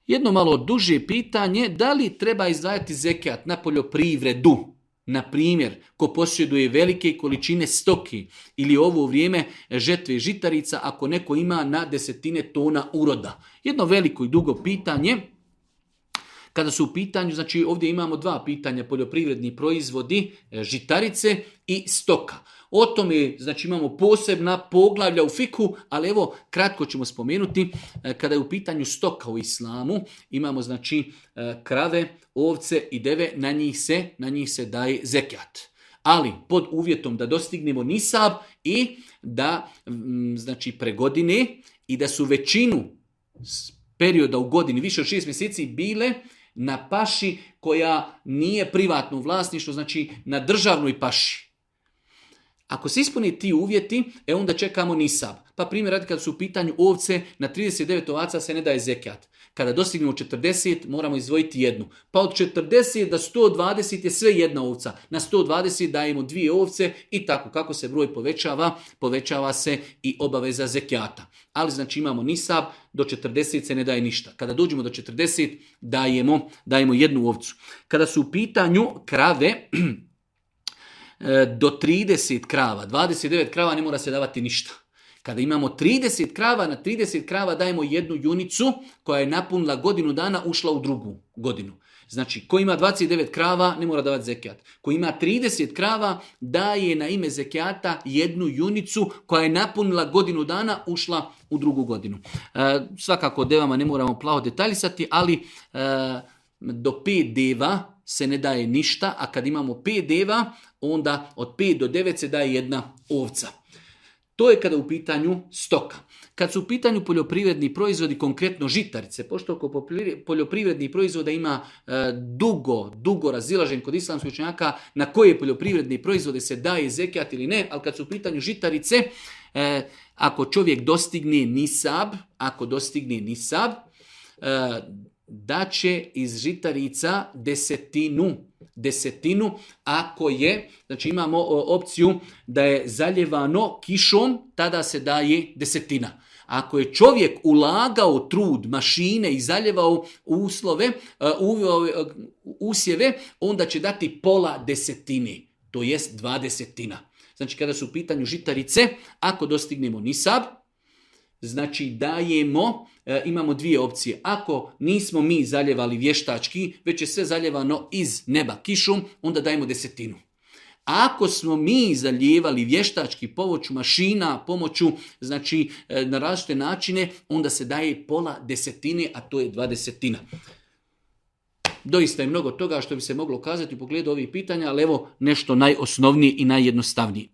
Jedno malo duže pitanje, da li treba izdvajati zekijat na poljoprivredu? Na primjer, ko posjeduje velike količine stoki ili ovo vrijeme žetve žitarica, ako neko ima na 10 tona uroda. Jedno veliko i dugo pitanje. Kada su u pitanju, znači ovdje imamo dva pitanja, poljoprivredni proizvodi, žitarice i stoka. O tome, znači imamo posebna poglavlja u fiku, ali evo kratko ćemo spomenuti, kada je u pitanju stoka u islamu, imamo znači krave, ovce i deve, na njih se daje zekijat. Ali pod uvjetom da dostignemo nisab i da znači pregodine i da su većinu perioda u godini, više od 6 mjeseci, bile na paši koja nije privatno vlasništvo, znači na državnoj paši. Ako se ispuni ti uvjeti, onda čekamo nisab. Pa primjer radi kada su u pitanju ovce, na 39 ovaca se ne daje zekijat. Kada dostignemo 40, moramo izdvojiti jednu. Pa od 40 do 120 je sve jedna ovca. Na 120 dajemo 2 ovce i tako. Kako se broj povećava se i obaveza zekijata. Ali znači imamo nisab, do 40 se ne daje ništa. Kada dođemo do 40, dajemo jednu ovcu. Kada su u pitanju krave, do 30 krava, 29 krava ne mora se davati ništa. Kada imamo 30 krava, na 30 krava dajemo jednu junicu koja je napunila godinu dana, ušla u drugu godinu. Znači, ko ima 29 krava, ne mora davati zekijat. Ko ima 30 krava, daje na ime zekijata jednu junicu koja je napunila godinu dana, ušla u drugu godinu. Svakako devama ne moramo plavo detaljisati, ali do 5 deva se ne daje ništa, a kad imamo 5 deva, onda od 5 do 9 se daje jedna ovca. To je kada u pitanju stoka. Kad su u pitanju poljoprivredni proizvodi, konkretno žitarice, pošto oko poljoprivrednih proizvoda ima dugo razilažen kod islamskih učenjaka na koje poljoprivredne proizvode se daje zekijat ili ne, ali kad su u pitanju žitarice, ako čovjek dostigne nisab, da će iz žitarica desetinu, ako je, znači imamo opciju da je zaljevano kišom, tada se daje desetina. Ako je čovjek ulagao trud, mašine i zaljevao usjeve, onda će dati pola desetine, to jest 20. Znači kada su u pitanju žitarice, ako dostignemo nisab, znači dajemo, imamo 2 opcije. Ako nismo mi zaljevali vještački, već je sve zaljevano iz neba kišom, onda dajemo desetinu. Ako smo mi zalijevali vještački pomoću mašina, pomoću, znači na različite načine, onda se daje pola desetine, a to je 20. Doista je mnogo toga što bi se moglo kazati u pogledu ovih pitanja, ali evo nešto najosnovnije i najjednostavnije.